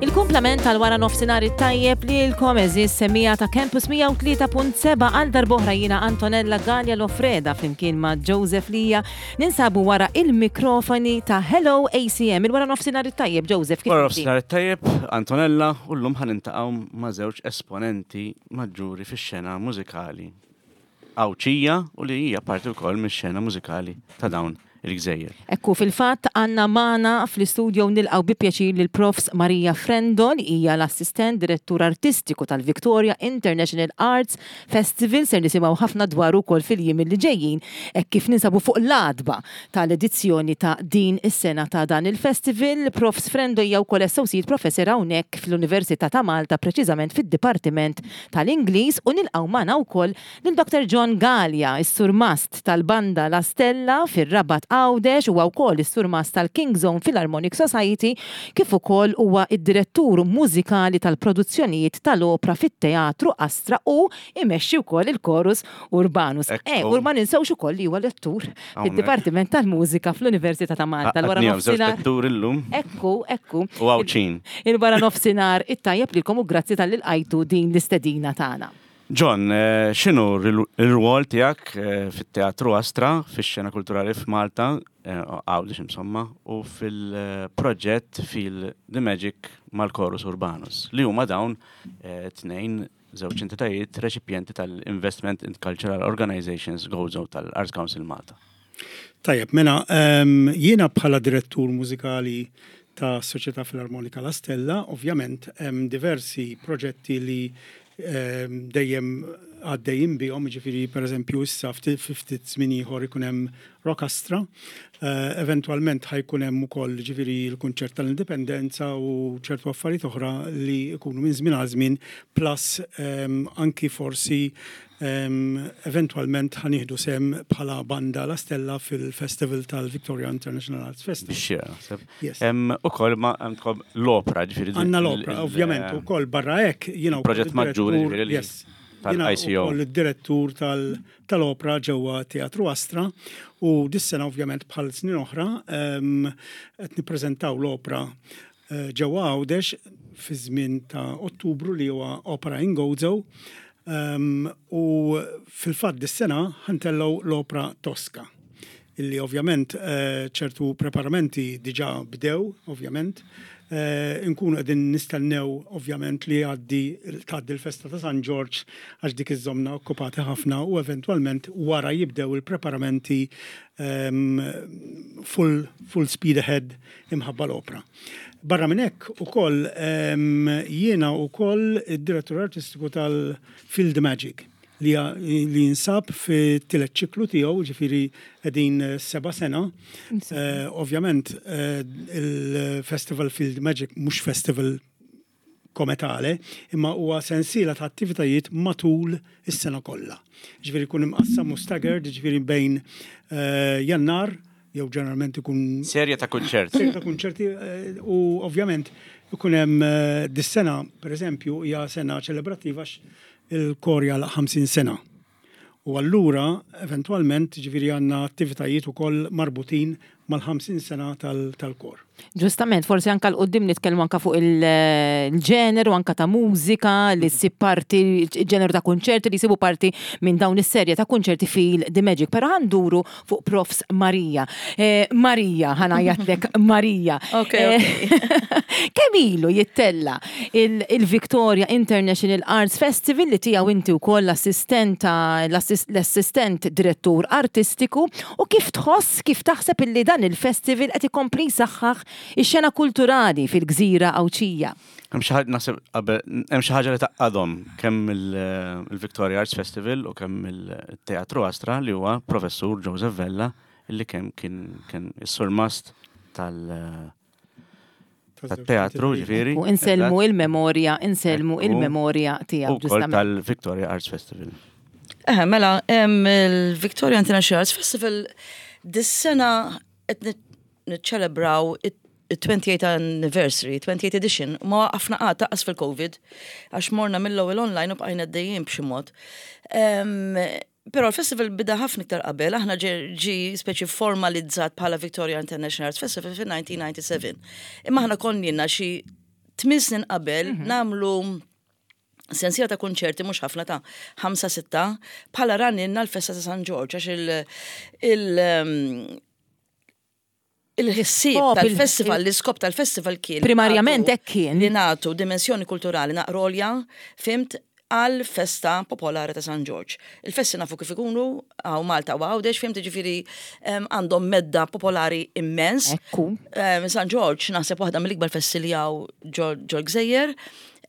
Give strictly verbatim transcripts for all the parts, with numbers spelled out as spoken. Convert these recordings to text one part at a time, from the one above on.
Il-kumplament tal-wara nofsinhar it-tajjeb lilkom, għeżież semmiegħa ta' Campus mija u tlieta punt sebgħa. Għal darb'oħra jiena Antonella Gallia Lofreda flimkien ma' Joseph Lija ninsabu wara il-mikrofoni ta' Hello A C M. Il-wara nofsinhar it-tajjeb, Joseph. Kif Wara inti? Nofsinhar it-tajjeb, Antonella, u llum ħa niltaqgħu ma' żewġ esponenti maġġuri fix-xena mużikali Għawdxija u li hija parti wkoll mix-xena mużikali ta' dawn il-gżejjer. Ekku, fil-fatt għandna magħna fl-istudio, nilqgħu bi pjaċir lil Profs Maria Frendo, li hija l-assistent direttur artistiku tal-Victoria International Arts Festival. Ser nisimgħu ħafna dwar ukoll fil-jiem li ġejjin hekk kif ninsabu fuq l-għatba tal-edizzjoni ta' din is-sena ta' dan il-festival. Profs Frendo hija wkoll associate professor hawnhekk fl-Università ta' Malta, preċiżament fid-Dipartiment tal-Ingliż, u nilqgħu magħna wkoll lil Doktor John Gallia, is-surmast tal-banda La Stella fir-Rabat Għawdex, huwa wkoll is-surmast tal-King's Own Philharmonic Society, kif ukoll huwa id-direttur mużikali tal-produzzjonijiet tal-opra fit-Teatru Astra u imexxi wkoll il-Chorus Urbanus. Ekku. Eh, u ma ninsewx ukoll li huwa lettur fid-Dipartiment tal-Mużika fl-Università ta' Malta. L-wara Għadni żewġ nofsinhar. letturi llum Ekku, ekku. u Għawdxin. Il-wara nofsinhar it-tajjeb lilkom u grazzi talli lqajtu din l-istedina tagħna. John, eh, x'inhu r-rwol tiegħek eh, fit-Teatru Astra, fix-xena kulturali f'Malta, eh, Għawdex insomma, u fil-proġett Feel the Magic mal-Chorus Urbanus, li huma dawn eh, tnejn żewġ entitajiet reċipjenti tal-Investment in Cultural Organizations Gozo tal-Arts Council Malta? Tajjeb, mela, um, jiena bħala direttur mużikali ta' Soċjetà Filarmonika La Stella, ovvjament hemm diversi proġetti li um, dejjem għaddejjin bihom, ġifieri per eżempju issa ftit fi ftit żmien ieħor ikun hemm Rockastra, uh, eventwalment ħa jkun hemm ukoll ġifieri l-kunċert tal-Indipendenza u ċertu affarijiet oħra li jkunu minn żmien għal żmien, plus um, anki forsi um, eventwalment ħa nieħdu sehem bħala banda La Stella fil-Festival tal-Victoria International Arts Festival. Bixxira, naħseb. Yes. Hemm ukoll ma għandkom l-opra, ġifieri. Għandna l-opra, ovvjament, u koll barra hekk, jiena wkoll Proġett maġġuri, id-direttur- ġifieri li- Yes. Jiena tal-I C O. wkoll id-direttur tal- tal-opra ġewwa Teatru Astra u dis-sena, ovvjament, bħal snin oħra em, qed nippreżentaw l-opra eh, ġewwa Għawdex fi żmien ta' Ottubru, li huwa Opera in Gozo. Um, u fil-fatt dis-sena ħa ntellgħu l-opra Tosca, illi ovvjament eh, ċertu preparamenti diġà bdew, ovvjament. Eh, nkunu qegħdin nistennew ovvjament li għaddi tgħaddi l-festa ta' San Ġorġ, għax dik iżżommna okkupati ħafna, u eventwalment wara jibdew il-preparamenti um, full, full speed ahead imħabba l-opra. Barra minn hekk ukoll um, jiena ukoll id-direttur artistiku tal-Feel the Magic li, li jinsab fi tielet ċiklu tiegħu, ġifieri qegħdin eh, seba' sena. Eh, ovvjament eh, il-Festival Feel the Magic mhux festival kometale, imma huwa sensiela ta' attivitajiet matul is-sena kollha. Ġifieri jkun imqassam u staggered, ġifieri bejn eh, Jannar, jew ġeneralment ikun Serje ta' kunċert. Serje ta' kunċerti eh, u ovvjament ikun hemm eh, dis-sena, pereżempju, hija sena ċelebrattiva għax il-kor jagħlaq ħamsin sena. U allura, eventwalment, ġifieri għandna attivitajiet ukoll marbutin mal-ħamsin sena tal- tal-kor. Ġustament, forsi anka 'l quddiem nitkellmu anka fuq il-ġeneru anka ta' mużika li ssib parti, il-ġeneru ta' konċerti li jsibu parti minn dawn is-serje ta' konċerti Feel the Magic. Però ħa nduru fuq Profs Marija. Eh, Marija, ħa ngħajjatlek Marija. Ok, Eh, Kemm ilu jittella il- il-Victoria International Arts Festival, li tiegħu inti wkoll l-assistenta l-assistent direttur artistiku, u kif tħoss, kif taħseb illi dan il-festival qed ikompli jsaħħaħ ix-xena kulturali fil-gżira Għawdxija? Hemm xi ħaġa, naħseb qabel, hemm xi ħaġa li tgħaqqadhom kemm il- il-Victoria Arts Festival u kemm il-Teatru Astra, li huwa Professur Joseph Vella, illi kemm kien kien is-surmast tal tat-teatru, ġifieri. U insellmu il-memorja, insellmu Ekku. il-memorja tiegħu U wkoll ġustament. tal-Victoria Arts Festival. Eh, mela, em, il-Victoria International Arts Festival Dis-sena qed niċċelebraw it-twenty-eighth anniversary, twenty-eighth edition, ma waqafna qatt lanqas fil-Covid, għax morna mill-ewwel online u bqajna għaddejjin b'xi mod. Però l-festival bida ħafna iktar qabel, aħna ġi speċi formalizzat bħala Victoria International Arts Festival fil-elf disa' mija u disgħa u disgħin. Imma aħna konna xi tmien snin qabel mhm. nagħmlu sensiela ta' konċerti, mhux ħafna, ta' ħamsa sitta, bħala run-in l-festa ta' San Ġorġ, għax il- il- il-ħsieb tal-festival, l-iskop tal-festival kien. Primarjament hekk kien. Li nagħtu dimensjoni kulturali naqra għolja, fhimt, għal festa popolari ta' San Ġorġ. Il-festi nafu kif ikunu, hawn Malta u Għawdex, fhimt, ġifieri għandhom medda popolari immens. Ekku. San Ġorġ naħseb waħda mill-ikbar festi li hawn ġol gżejjer.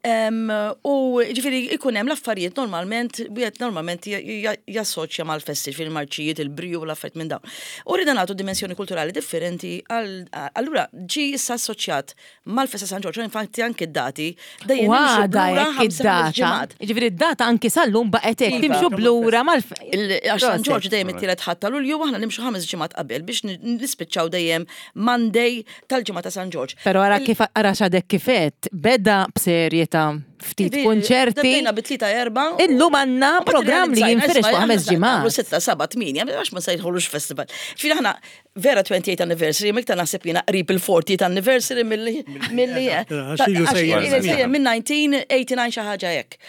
U ġifieri ikun hemm l-affarijiet normalment, wieħed normalment jassoċja mal-festi, fil-marċijiet, il-briju u l-affarijiet minn dawn. U rridna nagħtu dimensjoni kulturali differenti, allura ġi issa assoċjat mal-festa San Ġorġ, infatti anke d-dati dejjem nimxu lura id-data. Ġifieri id-data anki sal-lum baqgħet hekk, timxu b'lura mal Għax San Ġorġ dejjem it-tielet Ħadd ta' Lulju, aħna nimxu ħames ġimgħat qabel biex nispiċċaw dejjem Monday tal-ġimgħa ta' San Ġorġ. Però ara kif ara x'għadek kif għedt, beda b'serje ta' ftit konċerti. Bdejna bi tlieta, erba'. Illum għandna programm li jinfirex fuq ħames ġimgħat. Sitta, seba', tmienja, għax ma sejħulux festival. Ġifieri aħna vera twenty-eight anniversary, miktar naħseb jiena qrib il-fortieth anniversary milli milli minn elf disa' mija u disgħa u disgħin, xi ħaġa hekk.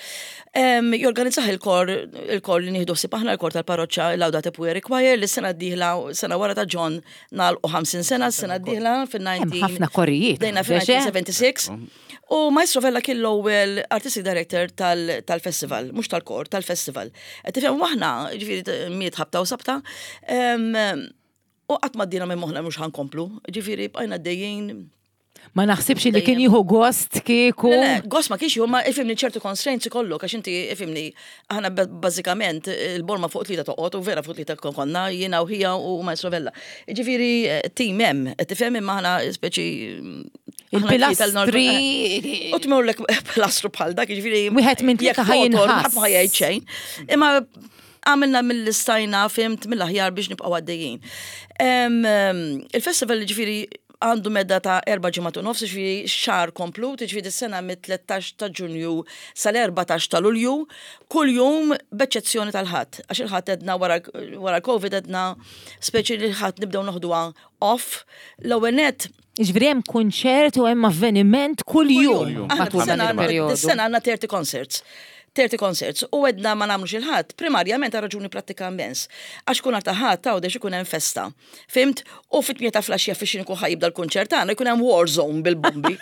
Jorganizzah il-kor, il-kor li nieħdu ħsieb aħna, il-kor tal-parroċċa, Laudate Pueri Choir, li sena d-dieħla, sena wara ta' John nagħlqu ħamsin sena, sena d-dieħla fil-nineteen. Ħafna korijiet. Bdejna fil-elf disa' mija u sebgħa u disgħin. U Maestro Vella kien l-ewwel artistic director tal-festival, mhux tal-kor, tal-festival. Tifhem, aħna, ġifieri miet ħabta u sabta, u qatt ma għaddiena minn moħħna mhux ħa nkomplu, ġifieri bqajna għaddejjin. Ma naħsibx li kien jieħu gost kieku. Gost ma kienx jieħu, ma ifhimni, ċertu constraints ikollok, għax inti ifhimni, aħna bażikament il-borma fuq tlieta toqgħod u vera fuq tlieta konna jiena u ħija u Maestro Vella. Ġifieri team hemm, tifhem, imma aħna speċi Il-pilastri. U tmurlek pilastru bħal dak, ġifieri. Wieħed minn tlieta ħa jinħass. Ħadd ma ħa jgħid xejn. Imma għamilna mill-istajna, fhimt, mill-aħjar biex nibqgħu għaddejjin. Il-festival ġifieri għandu medda ta' erba' ġimgħat u nofs, ġifieri xahar komplut, ġifieri s-sena mit-tlettax ta' Ġunju sal-erbatax ta' Lulju, kull jum b'eċċezzjoni tal-Ħadd. Għax il-Ħadd għedna wara l-Covid għedna speċi li l-Ħadd nibdew noħduha off. L-ewwel net Ġifieri hemm kunċert u hemm avveniment kull jum matul dan il-perjodu. Is-sena għandna thirty concerts. thirty concerts u għedna ma nagħmlux il-Ħadd, primarjament għal raġuni pratika immens. Għax kun ta' Ħadd ta' għodex ikun hemm festa. Fhimt? U fit-tmienja ta' filgħaxija fix ikun ħa jibda l-kunċert tagħna jkun hemm war zone bil-bombi.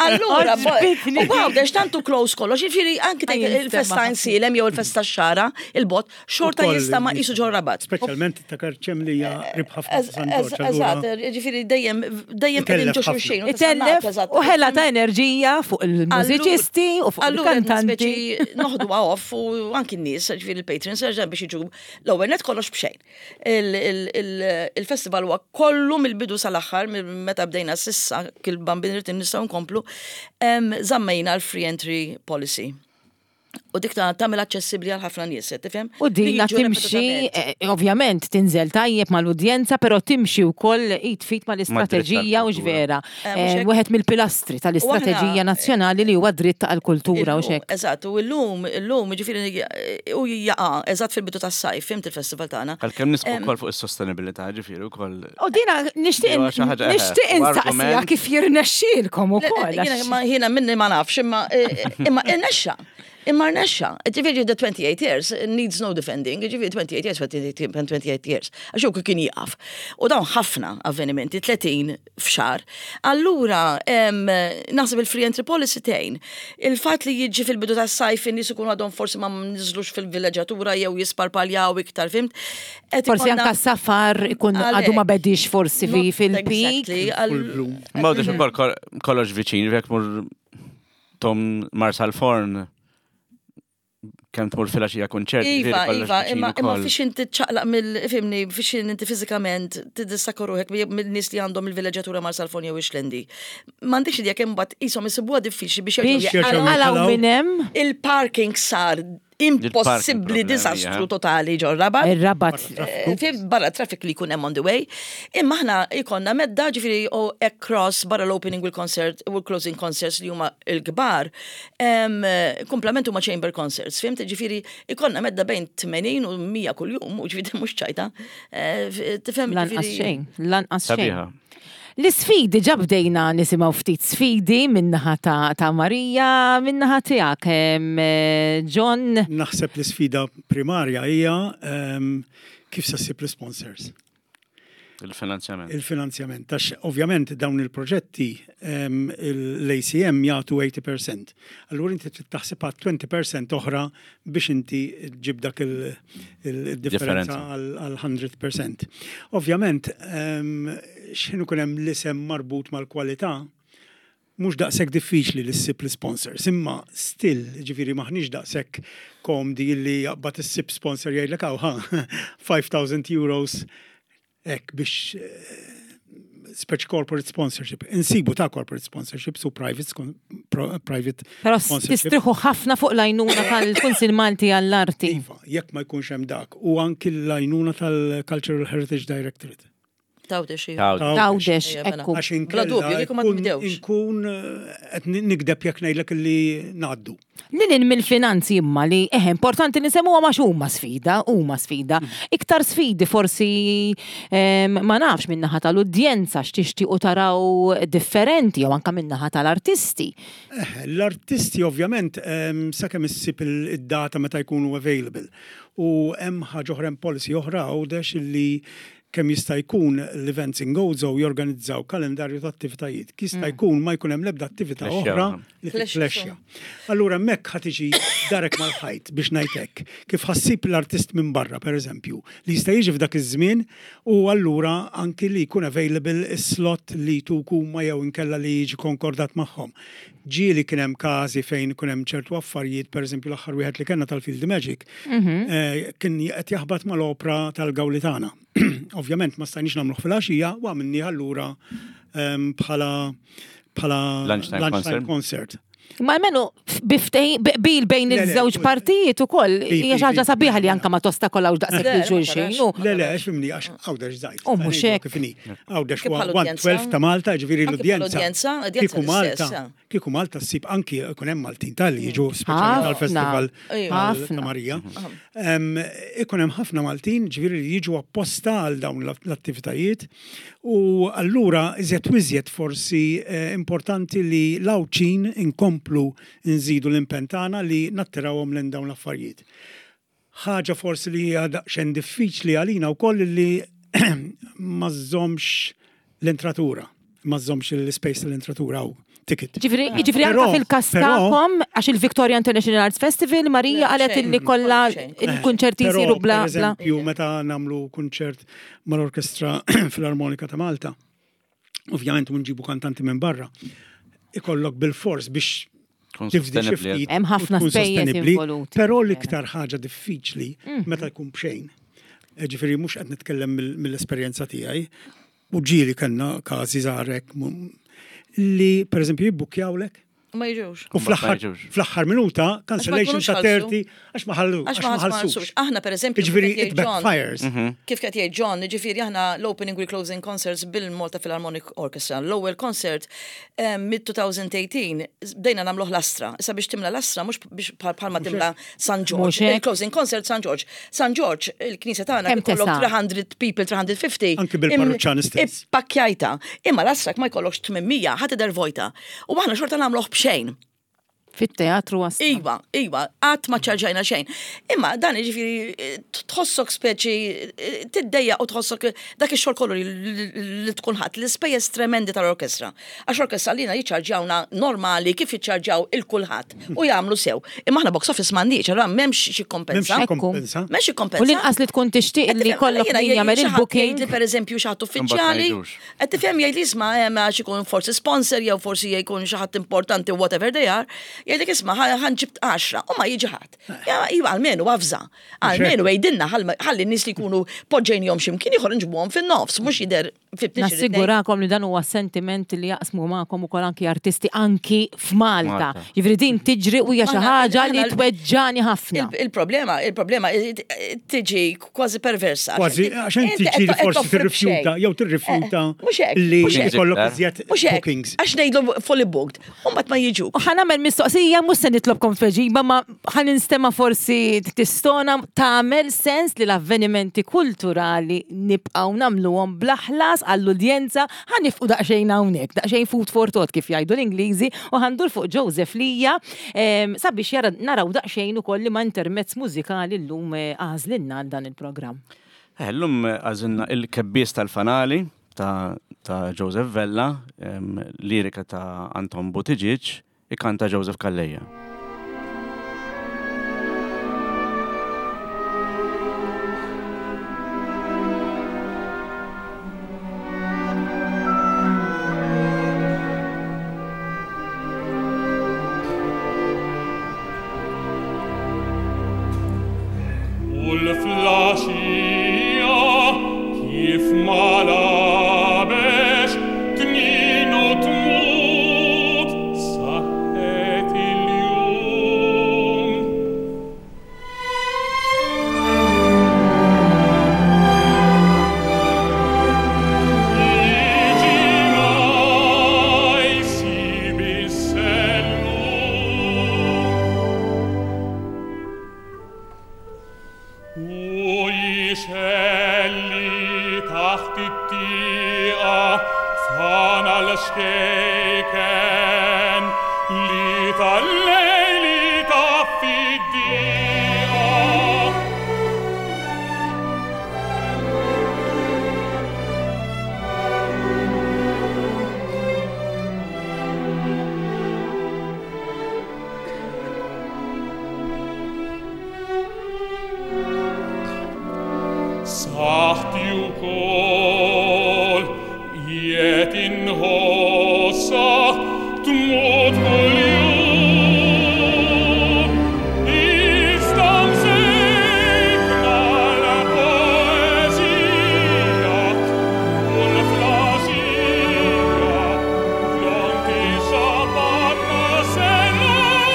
Allura, u Għawdex tantu close kollox, jiġifieri anki il-festa Għajnsielem jew il-festa Xagħra, il-bot, xorta jista' ma qisu ġo Rabat. Speċjalment ta' Karċem li hija qrib ħafna San Ġorġ. Eżatt, ġifieri dejjem dejjem qegħdin ġo xulxin. Itellef u ħela ta' enerġija fuq il-mużiċisti u fuq il-kantanti. Noħduha off u anki n-nies, ġifieri il-patrons, biex jiġu, l-ewwel net kollox b'xejn. Il-festival huwa kollu mill-bidu sal-aħħar, meta bdejna s'issa, kil bambin irrid nistgħu nkomplu, żammejna l-free entry policy. U dik ta' tagħmel aċċessibbli għal ħafna nies, tifhem? U dina timxi, eh, ovvjament tinżel tajjeb mal-udjenza, però timxi wkoll id f'id mal-istrateġija u ġvera. Eh, eh, wieħed mill-pilastri tal-istrateġija nazzjonali li huwa dritt għal-kultura u xek. Eżatt, u llum, illum, ġifieri u jaqa' eżatt fil-bidu tas-sajf, fhimt, il-festival tagħna. Għalkemm nisħqu wkoll fuq is-sostenibilità, ġifieri wkoll. U dina nixtieq nixtieq insaqsija kif jirnexxielkom ukoll. Jiena minni ma nafx, imma imma irnexxa. Imma rnexxa. Ġifieri the twenty-eight years needs no defending. Ġifieri twenty-eight years, twenty-eight years. Għax hu kien jieqaf. U dawn ħafna avvenimenti, tletin f'xahar. Allura, naħseb il-free entry policy tgħin. Il-fatt li jiġi fil-bidu tas-sajf, in-nies ikunu għadhom forsi ma niżlux fil-villeġġatura jew jisparpaljaw iktar, fhimt? Forsi anka safar ikun għadu ma bedix forsi fil-peak. Ma għadux ukoll kollox viċin, jekk mur tom Marsalforn kemm tmur filgħaxija kunċert. Iva, iva, imma imma fiex inti ċaqlaq mill, fhimni, fiex inti fiżikament tiddistakka ruħek mill-nies li għandhom il-villeġġatura Marsalforn jew Ix-Xlendi. M'għandekx idea kemm mbagħad qishom isibuha diffiċli biex jerġgħu minn hemm. Il-parking sar Impossibbli, problema disastru hija. Totali ġo Rabat. Ir-Rabat. Eh, Fim barra traffic li jkun hemm on the way. Imma aħna ikonna medda, ġifieri, u across barra l-opening u l-concert u l-closing concerts li huma l-kbar, em, komplement huma chamber concerts. Fhimt, ġifieri, ikonna medda bejn tmenin u mija kuljum, u ġifieri mhux ċajta. Eh, f- Tifhem Lanqas ġifieri- xejn, lanqas xejn. Sabiħa. L-sfidi, ġa bdejna nisimgħu ftit sfidi min-naħa ta', ta' Marija, min-naħa tiegħek. em, eh, John, Naħseb l-sfida primarja hija em, kif sa ssib l-sponsors. Il-finanzjament. Il-finanzjament. Għax ovvjament dawn il-proġetti em, l-A C M jagħtu tmenin fil-mija. Allura inti trid taħseb għal għoxrin fil-mija oħra biex inti ġib dak il- il-differenza Differenza. għal mija fil-mija. Ovvjament, em, x'ħin ikun hemm l-isem marbut mal-kwalità, mhux daqshekk diffiċli li ssib l-sponsors, imma still, ġifieri, maħniex daqshekk komdi li jaqbad issib sponsor jgħidlek, "Hawn ħa, five thousand euros hekk biex eh, speċi corporate sponsorship." Insibu ta' corporate sponsorship, su private, skon- pro- private Però sponsorship. tistriħu ħafna fuq l-għajnuna tal-Kunsil Malti għall-Arti. Iva, jekk ma jkunx hemm dak. U anki l-għajnuna tal-Cultural Heritage Directorate. Tawdex, iva. Tawdex. Tawdex, Ejja, mela. ekku. Għax Bla inkella dubju, kieku ma nkun- tbdewx. Inkun eh, qed nikdeb jekk ngħidlek li ngħaddu. Lilin mill-finanzi, imma li eħe importanti li nsemmuha ma huma sfida, huma sfida. Iktar sfidi forsi em, ma nafx, min-naħa tal-udjenza x'tixtiequ taraw differenti jew anka min-naħa tal-artisti. Eh, L-artisti ovvjament em, sakemm issib il- id-data meta jkunu available. U hemm ħaġa oħra, hemm policy oħra Għawdex li kemm jista' jkun l-Events in Gozo jorganizzaw kalendarju ta' attivitajiet. Jista' jkun ma jkun hemm l-ebda attività Flexja. Oħra li Flexja. tiflexja. Allura hemmhekk ħa tiġi darek mal-ħajt biex ngħidlek. Kif ħa ssib l-artist minn barra, per eżempju, li jista' jiġi f'dak iż-żmien u allura anki li jkun available is-slot li tuk huma jew inkella li jiġi konkordat magħhom. Ġieli kien hemm każi fejn kien hemm ċertu affarijiet, per eżempju l-aħħar wieħed li kellna tal-Feel the Magic, eh, kien qed jaħbat mal-opra tal-Gawlitana. Ovvjament ma stajniex nagħmluh fil-għaxija u għamilni allura em, bħala bħala Lunchtime concert. Concert. Ma almenu biftej, bil bejn Le, le, iż-żewġ kull- partijiet ukoll Bi- hija xi ħaġa bi- sabiħa li anka ma tostakolawx daqshekk Le, lil ma xulxin. tarax. u- Le, le, għax fhimni, għax Għawdex żgħir. U mhux hekk. Kif inhi. Għawdex Kif bħal udjenza? one twelve ta' Malta, ġifieri Anki bħal l-udjenza. udjenza, udjenza Kieku l-istess, Malta, eh. kieku Malta ssib anki ikun hemm Maltin tal jiġu speċjali Ħafna. tal-festival Ejwa. tal- Ħafna. ta' Marija. Em, Ikun hemm ħafna Maltin, ġifieri, li jiġu apposta għal dawn l-attivitajiet u allura iżjed u iżjed forsi eh, importanti li l-Għawdxin inkomplu nżidu l-impenn tagħna li nattirawhom lejn dawn l-affarijiet. Ħaġa forsi li hija daqsxejn diffiċli għalina wkoll li ma żżommx l-entratura, ma żżommx l-space tal-entratura u ticket. Ġifieri, ġifieri anka Però- fil-kas però- tagħkom, għax il-Victoria International Arts Festival, Marija Le, qalet xejn. illi kollha Xejn. il-kunċerti Però, jsiru bla per bla. eżempju, meta nagħmlu kunċert mal-Orkestra Filarmonika ta' Malta, ovvjament nġibu kantanti minn barra, ikollok bil-fors biex Tkun tifdi xi sostenibbli. ftit Hemm u ħafna tkun spejjeż sostenibbli, involuti. Però l-iktar ħaġa diffiċli Mhm. meta jkun bxejn. Eh, Ġifieri mhux qed nitkellem mill- mill-esperjenza tiegħi, u ġieli kellna każi żgħarek li per eżempju jibbukjawlek Ma jiġux. u fl-aħħar Ma jiġux. fl-aħħar minuta cancellation jkunux ta' ħallsu. thirty għax ma ħallu Għax ma ħallsux. Aħna per eżempju, Ġifieri kif qed it jgħid John- backfires. Kif qed jgħid John, ġifieri aħna l-opening u closing concerts bil-Malta Philharmonic Orchestra. L-ewwel concert mid-elfejn u tmintax bdejna nagħmluh l-Astra. Issa biex timla l-Astra mhux biex bħal bħalma timla San Mhux George. hekk. Il-closing concert San George. San George, il-knisja tagħna Kemm ikollok tesa'? tliet mitt people, tliet mitt u ħamsin. Anki bil-parruċċani stess. Ippakkjajta. Imma l-Astra ma jkollokx tmien mija, ħadd idher vojta. U aħna xorta nagħmluh b'xejn. Fit-teatru Astra. Iva, iva, qatt ma ċarġajna xejn. Imma dan ġifieri tħossok speċi tiddejja u tħossok dak ix-xogħol kollu li- li tkun ħadd l-ispejjeż tremendi tal-orkestra. Għax orkestra lina jiċċarġawna normali kif jiċċarġaw il-kulħadd u jagħmlu sew. Imma aħna box office m'għandniex, allura m'hemmx xi kompensa. M'hemmx Ekku. kompensa. M'hemmx xi kompensa. U l-inqas li tkun tixtieq li kollok min jagħmel il-booking. Li per eżempju xi ħadd uffiċjali, Imbagħad ma jiġux. qed tifhem, jgħid li isma' hemm għax ikun forsi sponsor jew forsi jkun xi ħadd importanti, whatever they are, Jgħidlek isma' ħa nġib għaxra u ma jiġi ħadd. Ja, iva almenu avża. Almenu għidilna ħalli n-nies li jkunu poġġejnihom x'imkien ieħor nġibuhom fin-nofs, mhux jidher fi Nassigurakom li dan huwa sentiment li jaqsmu magħkom ukoll anki artisti anki f'Malta. Malta. Jiġifieri din tiġri u hija xi Aħna- ħaġa li aħna- tweġġani ħafna. Il- Il-problema, il-problema tiġi kważi perversa. Kważi, għax inti qed ġieli qed forsi toffri tirrifjuta, b'xejn. jew tirrifjuta Eh, Mhux hekk, li mhux hekk. jkollok iżjed Mhux hekk, bookings. għax ngħidlu fully booked, u mbagħad ma jiġuk. U ħa nagħmel mistoqsija, mhux se nitlobkom tweġiba, ma ħa ninstema' forsi tistona tagħmel sens li l-avvenimenti kulturali nibqgħu nagħmluhom bla ħlas għall-udjenza, ħa nieqfu daqsxejn hawnhekk, daqsxejn food for thought kif jgħidu l-Ingliżi, u ħa ndur fuq Joseph Lija em, sabiex jara naraw daqsxejn ukoll li ma intermezz mużikali llum eh, għażlilna għal dan il-programm. Eh, Llum għażilna il-Kebbies tal-Fanali ta', ta' Joseph Vella, em, lirika ta' Anton Buttigieg, ikanta Joseph Calleja. U l-flaxija kif ma labex tnin u tmut saħħet il-jum. Jiġi ma jsib is-sellum. U jixelli taħt it-tieqa fanal xkejken li tal-lejli taffi d-dieqa. Saħti u kol, jiet inħossa tmut kull-jum. Iżda msejkna l-poezija u l-flaxija flok ixabbatna sellum.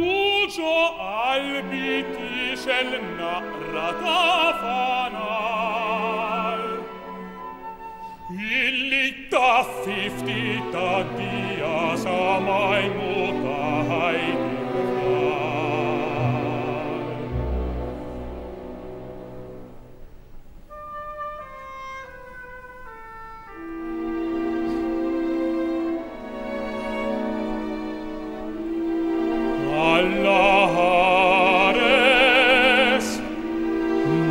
U ġo qalbi tixel naqra ta' fanal. Illi taffi ftit ta' dija sa ma jmut ta' ħajti l-far. Alla ħares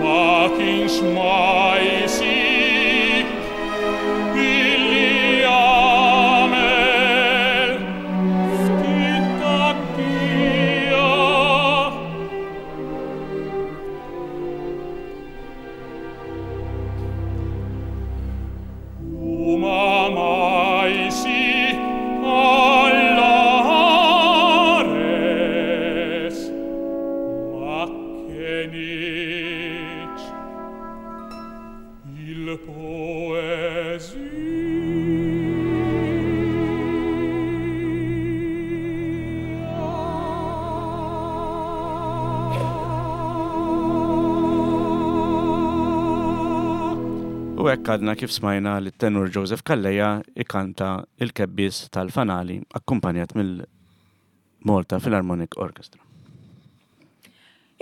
ma kienx ma jsib illi għamel ftit tat-tija. U ma ma jsib alla ħares ma kienx il-poezija. U hekk għadna kif smajna li tenur Joseph Calleja ikanta il-Kebbies tal-Fanali akkumpanjat mill-Malta Philharmonic Orchestra.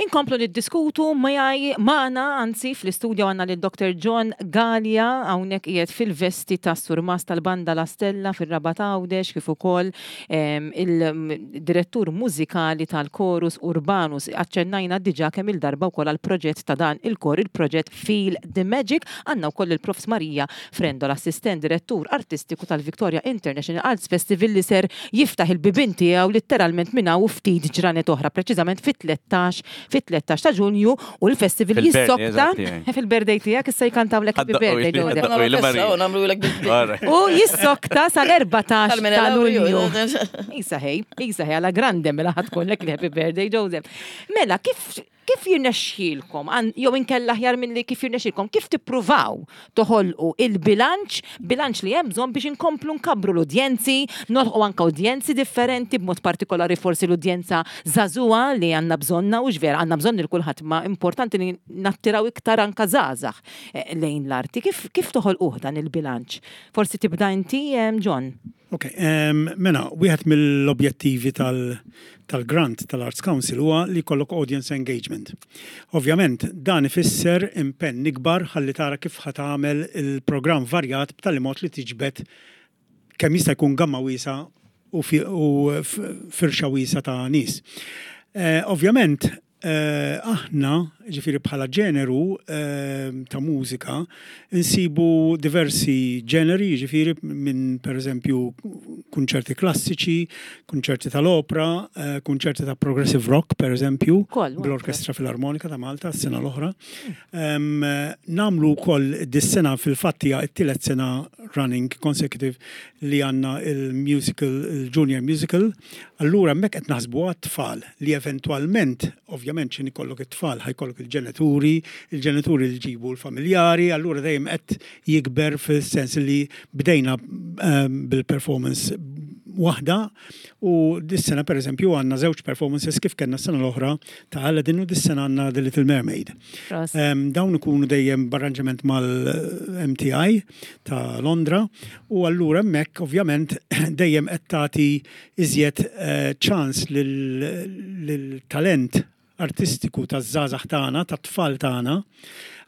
Inkomplu niddiskutu miegħi magħna anzi fl-istudju għandna lil Doctor John Galea hawnhekk qiegħed fil-vesti ta' surmast tal-banda La Stella fir-Rabat Għawdex kif ukoll em, il-direttur mużikali tal-Chorus Urbanus. Aċċennajna diġà kemm il-darba wkoll għall-proġett ta' dan il-kor, il-proġett Feel the Magic. Għandna wkoll il-Profs Marija Frendo, l-assistent direttur artistiku tal-Victoria International Arts Festival li ser jiftaħ il-bibien tiegħu litteralment minn hawn ftit ġranet oħra, preċiżament fit-tlettax fit-tlettax ta' Ġunju u l-festival Fil-birthday, jissokta eżatt, tiegħi. fil-birthday tiegħek issa jkantawlek happy Ħadda- birthday, oj, Joseph. ħadda- Oj, li Marija. Nagħmlu U jissokta sal-erbatax ta' Lulju. Lulju. Isa ħej, isa ħej, għala grande mela ħa tkollek li happy birthday, Joseph. Mela, kif kif jirnexxielkom, an- jew inkella aħjar milli kif jirnexxielkom, kif tippruvaw toħolqu il-bilanċ, bilanċ li hemm bżonn biex inkomplu nkabbru l-udjenzi, nolħqu anka udjenzi differenti, b'mod partikolari forsi l-udjenza żagħżugħa li għandna bżonna u vera, għandna bżonn lil kulħadd, ma importanti li nattiraw iktar anka żgħażagħ eh, lejn l-arti. Kif, kif toħolquh dan il-bilanċ? Forsi tibda inti, em, John? Ok, um, mela, wieħed mill-objettivi tal- tal-grant tal-Arts Council huwa li jkollok audience engagement. Ovvjament, dan ifisser impenn ikbar ħalli tara kif ħa tagħmel il-programm varjat b'tali mod li tiġbed kemm jista' jkun gamma wiesa u, fi, u f- firxa wiesa ta' nies. Eh, ovvjament, eh, aħna, ġifieri bħala ġeneru eh, ta' mużika, insibu diversi ġeneri, ġifieri minn per eżempju kunċerti klassiċi, kunċerti tal-opra, eh, kunċerti ta' progressive rock, per eżempju, Koll, bl-Orkestra Filarmonika ta' Malta, s-sena l-oħra. Um, nagħmlu wkoll dis-sena fil-fatt hija t-tielet sena running consecutive li għandna il-musical, il-junior musical. Allura hemmhekk qed naħsbu għat-tfal li eventwalment, ovvjament x'ħin ikollok it-tfal, ħa jkollok il-ġenituri, il-ġenituri li ġibu l-familjari, allura dejjem qed jikber fil-sens li bdejna um, bil-performance waħda u dis-sena per eżempju għandna żewġ performances kif kellna s-sena l-oħra ta' Aladdin u dis-sena għandna The Little Mermaid. Prosit. Um, dawn ikunu dejjem b'arranġament mal-M T I ta' Londra u allura hemmhekk ovvjament dejjem qed tagħti iżjed eh, ċans lil-talent artistiku taż-żgħażagħ tagħna, tat-tfal tagħna,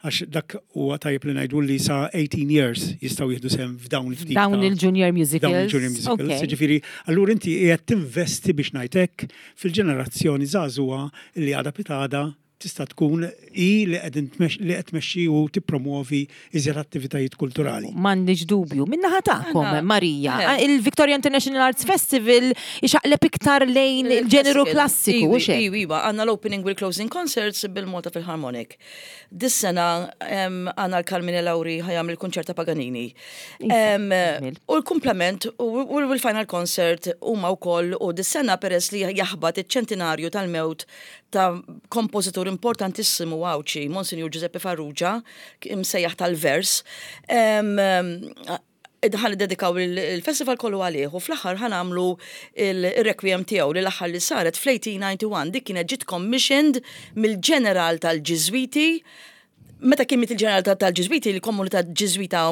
għax dak huwa tajjeb li ngħidu li sa eighteen years jistgħu jieħdu sehem f'dawn il-ftit Dawn ta' il-junior musicals. Dawn il-junior musicals. Ok. Ġifieri, allura inti qiegħed tinvesti biex ngħidlek fil-ġenerazzjoni żagħżugħa li għada pitgħada tista' tkun i li qegħdin tmex- li qed tmexxi u tippromuovi iżjed attivitajiet kulturali. M'għandix dubju. Min-naħa tagħkom, Aħna- Marija, Eh. il-Victoria International Arts Festival ixaqleb iktar lejn il-ġeneru klassiku, u xek. Iwi, iwa, għandna l-opening u l-closing concerts bil-Malta Philharmonic. Dis-sena em, għandna l-Carmine Lauri ħa jagħmel il-konċert ta' Paganini. Em, ġmil. U l-komplement u u l-final concert huma wkoll u dis-sena peress li jaħbat iċ-ċentinarju tal-mewt ta' kompożitur importantissimu Għawdxi, Monsignor Giuseppe Farrugia, imsejjaħ tal-vers. Em, em, ħa niddedikaw il-festival kollu għalih u fl-aħħar ħa nagħmlu il-requiem tiegħu li l-aħħar li saret fl-elf disa' mija u wieħed u disgħin, dik kienet ġiet commissioned mill-ġeneral tal-Ġiżwiti. Meta kien miet il-ġeneral tal-Ġiżwiti, il-komunità Ġiżwita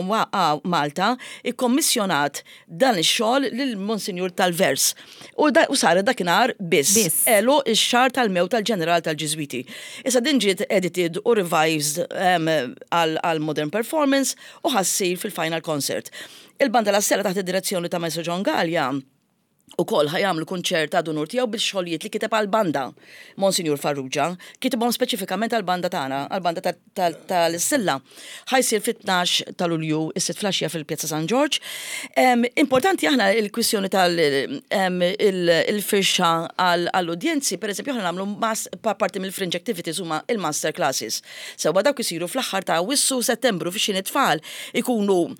Malta ikkommissjonat dan ix-xogħol lil Monsinjur tal-Vers. U, da, u saret dakinhar biss. Biss. Elu ix-xahar tal-mewt tal-ġeneral tal-Ġiżwiti. Issa din ġiet edited u revised um, għal għal modern performance u ħa ssir fil-final concert. Il-Banda La Stella taħt id-direzzjoni ta' Maestro John Gallia ukoll ħa jagħmlu kunċert ta' unur tiegħu bil-xogħlijiet li kiteb għal-banda Monsignor Farrugia, kitibhom speċifikament għal-banda tagħna, għal-banda tal-Stilla. Ħa jsir fit-tnax ta' Lulju is-sitta filgħaxija fil-Pjazza San Ġorġ. Em, Importanti aħna il-kwistjoni tal-firxa għall-udjenzi, per eżempju aħna nagħmlu mas- pa- parti mill-fringe activities huma il-master classes. Sewwa dawk isiru fl-aħħar ta' Awwissu, Settembru fix tfal ikunu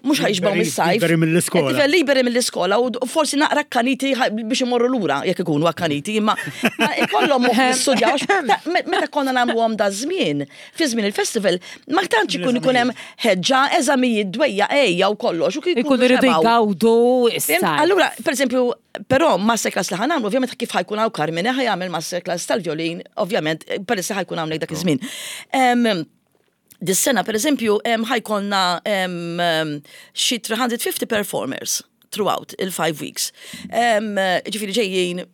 mhux ħa jixbgħu Liberi- mis-sajf. liberi mill-iskola. Tifel liberi mill-iskola u u forsi naqra akkaniti ħa- biex imorru lura jekk ikunu akkaniti, imma ma ikollhom moħħ jistudjaw għax ta- me- meta konna nagħmluhom da żmien, fi żmien il-festival, ma tantx ikun ikun hemm ħeġġa, eżamijiet, dwejja, ejja u kollox. u kien Ikunu rridu xebgħu. jgawdu Fhimt? issa. Allura, per eżempju, però masterclass li ħa nagħmlu, ovvjament kif ħa jkun hawn Carmine, ħa jagħmel masterclass tal-violin, ovvjament, peress li ħa jkun hawnhekk dak iż-żmien. Em, Dis-sena, per eżempju, em, ħa jkollna em, em, xi tliet mija u ħamsin performers throughout il-five weeks. Um, ġifieri ġejjin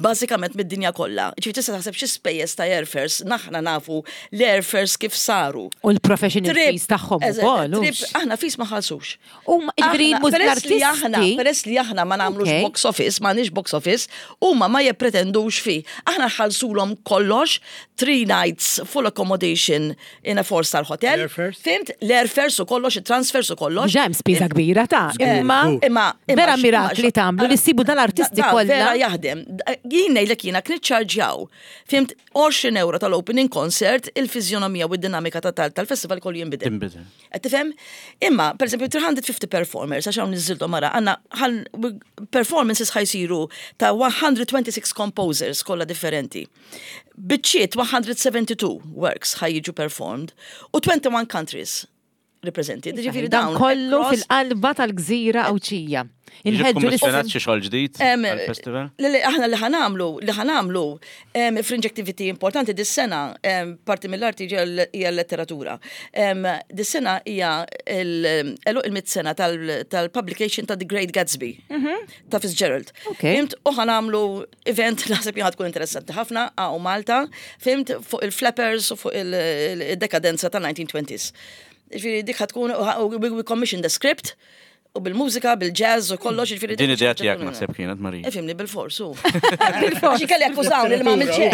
bażikament mid-dinja kollha. Ġifieri tista' taħseb xi spejjeż ta' airfares, aħna nafu l-airfares kif saru. U l-professional Trip, fees tagħhom eżatt, ukoll. trip, hux? aħna fees ma ħalsux. U ma- ġifieri Aħna- muż- peress li aħna, l-artisti. peress li aħna ma nagħmlux Ok. box office, ma nix box office, huma ma jippretendux fi. Aħna ħalsulhom kollox, three nights full accommodation in a four star hotel. L-airfares? Fhimt? L-airfares u kollox, il-transfers u kollox. Diġà hemm spiża kbira ta' Eh, imma Imma Vera mirakli tagħmlu li ssibu dal-artisti Da- da, kollha. Vera jaħdem. Da- Jien ngħidlek jiena kien iċċarġjaw. Fhimt għoxrin euro tal-opening concert, il-fizjonomija u d-dinamika ta' tal- tal-festival kollu jinbidel. Tinbidel. Qed tifhem? Imma, per esempio, tliet mija u ħamsin performers, għax hawn niżiltom mara, għandna ħal- performances ħa jsiru ta' mija u sitta u għoxrin composers kollha differenti. Biċċiet mija u tnejn u sebgħin works ħa jiġu performed u wieħed u għoxrin countries represented. Ġifieri Dan dawn kollu across- fil-qalba tal-gżira Għawdxija. Inħedġu Inħeġġu kummissjonat xi xogħol ġdid Em, għall-festival? Li li aħna li ħa nagħmlu, li ħa nagħmlu em, fringe activity importanti dis-sena, em, parti mill-arti hija l- hija l-letteratura. Em, Dis-sena hija il- il-mitt sena tal-publication ta' The Great Gatsby ta' Fitzgerald. Ok. Fhimt, u ħa nagħmlu event naħseb jien tkun interessanti ħafna hawn Malta, fhimt fuq il-flappers u fuq il-dekadenza tal-nineteen twenties. Ġifieri dik ħa tkun, u we commission the script, u bil-mużika, bil-jazz u kollox, ġifieri Din dik idea ħaġa tiegħek tkun- naħseb kienet, Marija. Ifhimni bil-fors, u. Għax kelli akkużawni li ma għamilt xejn.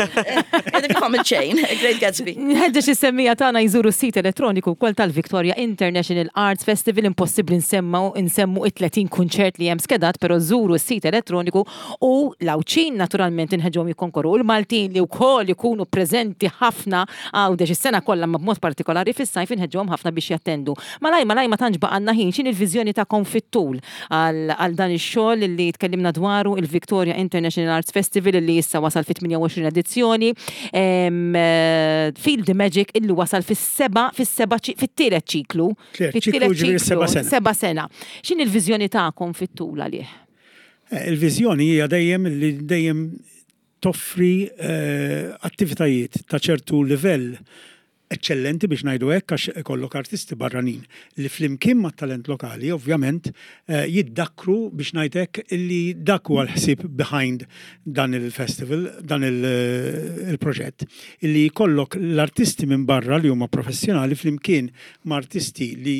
Għedek ma għamilt xejn, Great Gatsby. Nħeġġeġ is-semmiegħa tagħna jżuru s-sit elettroniku wkoll tal-Victoria International Arts Festival. Impossibbli nsemmu nsemmu it-tletin kunċert li hemm skedat, però żuru s-sit elettroniku u l-Għawdxin naturalment inħeġġhom jikkonkorru u l-Maltin li wkoll ikunu preżenti ħafna Għawdex is-sena kollha ma b'mod partikolari fis-sajf inħeġġhom ħafna biex jattendu. Malaj malaj ma tantx baqgħalna ħin, x'inhi il-viżjoni tagħkom fit-tul għal għal dan ix-xogħol li tkellimna dwaru, il-Victoria International Arts Festival li issa wasal fit-tmienja u għoxrin edizzjoni, em, eh, Feel the Magic illi wasal fis-seba fis-seba ċi- fit-tielet ċiklu. Tielet Fit-tielet ċiklu, ġifieri seba' sena. Seba' sena. X'inhi l-viżjoni tagħkom fit-tul għalih? Eh, Il-viżjoni hija dejjem li dejjem toffri eh, attivitajiet ta' ċertu livell eccellenti biex ngħidu hekk, għax ikollok artisti barranin li flimkien ma' talent lokali ovvjament eh, jiddakkru biex ngħid hekk, illi dak huwa l-ħsieb behind dan il-festival, dan il- il-proġett, illi jkollok l-artisti minn barra li huma professjonali flimkien ma' artisti li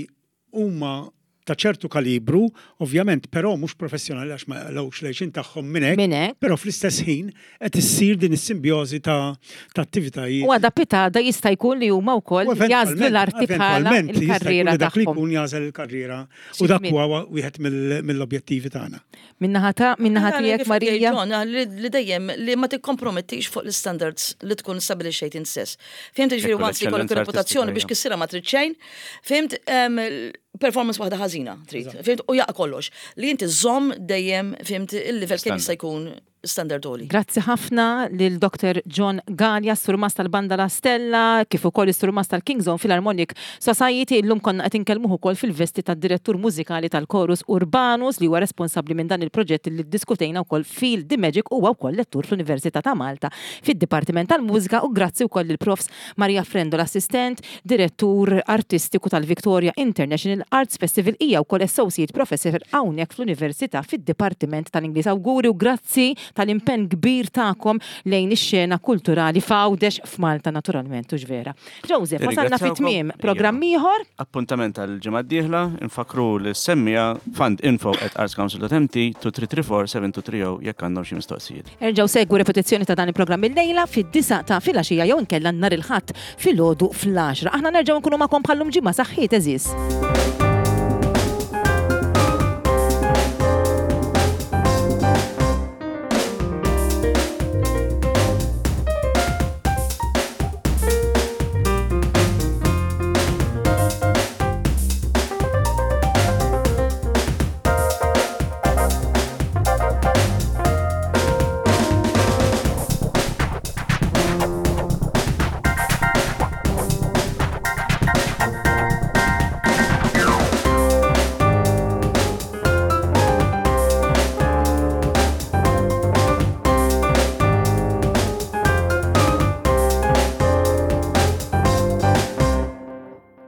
huma ta' ċertu kalibru, ovvjament, però mhux professjonali għax ma jaqilgħux l-għajxien tagħhom minn hekk, Minn hekk. però fl-istess ħin qed issir din is-simbjożi ta' ta' attivitajiet. U għada pitgħada jista' jkun li huma wkoll U jagħżlu l-arti bħala eventwalment jista' jkun il-karriera li dak li tagħhom. jkun jagħżel il-karriera u dak huwa wieħed mill- mill-objettivi tagħna. Min-naħa ta' min-naħa tiegħek, Kif Marija. jgħid John, li li dejjem li ma tikkompromettix fuq l-standards li tkun stabilixxejt int stess. Fhimt, ġifieri Ekku once li jkollok l-eccellenza reputazzjoni biex artistika, kissira ma trid xejn, fhimt, em, performance waħda ħażina trid, fhimt, u jaqa' kollox. Li inti żomm dejjem, fhimt, il-livell kemm jista' jkun standard għoli. Grazzi ħafna lil Doktor John Galea, surmast tal-Banda La Stella, kif ukoll is-surmast tal-King's Own Philharmonic Society. Illum konna qed inkellmuh ukoll fil-vesti tad-direttur mużikali tal-Chorus Urbanus li huwa responsabbli minn dan il-proġett li ddiskutejna wkoll, Feel the Magic, huwa wkoll lettur fl-Università ta' Malta fid-Dipartiment tal-Mużika, u grazzi wkoll lil Profs Maria Frendo, l-assistent direttur artistiku tal-Victoria International Arts Festival, hija wkoll associate professor hawnhekk fl-Università fid-Dipartiment tal-Ingliż. Awguri u grazzi tal-impenn kbir tagħkom lejn ix-xena kulturali f'Għawdex, f'Malta naturalment, u vera. Joseph, wasalna fi tmiem programm ieħor. Appuntament għal-ġimgħa d-dieħla, infakru lis-semmiegħa fundinfo at artscouncil dot M T tnejn tlieta tlieta erba' seba' tnejn tlieta zero jekk għandhom xi mistoqsijiet. Erġgħu segwu repetizzjoni ta' dan il-programm il-lejla fid-disgħa ta' filgħaxija jew inkella nhar il-Ħadd filgħodu fl-għaxra. Aħna nerġgħu nkunu magħkom bħallum ġimgħa. Saħħiet, għeżież.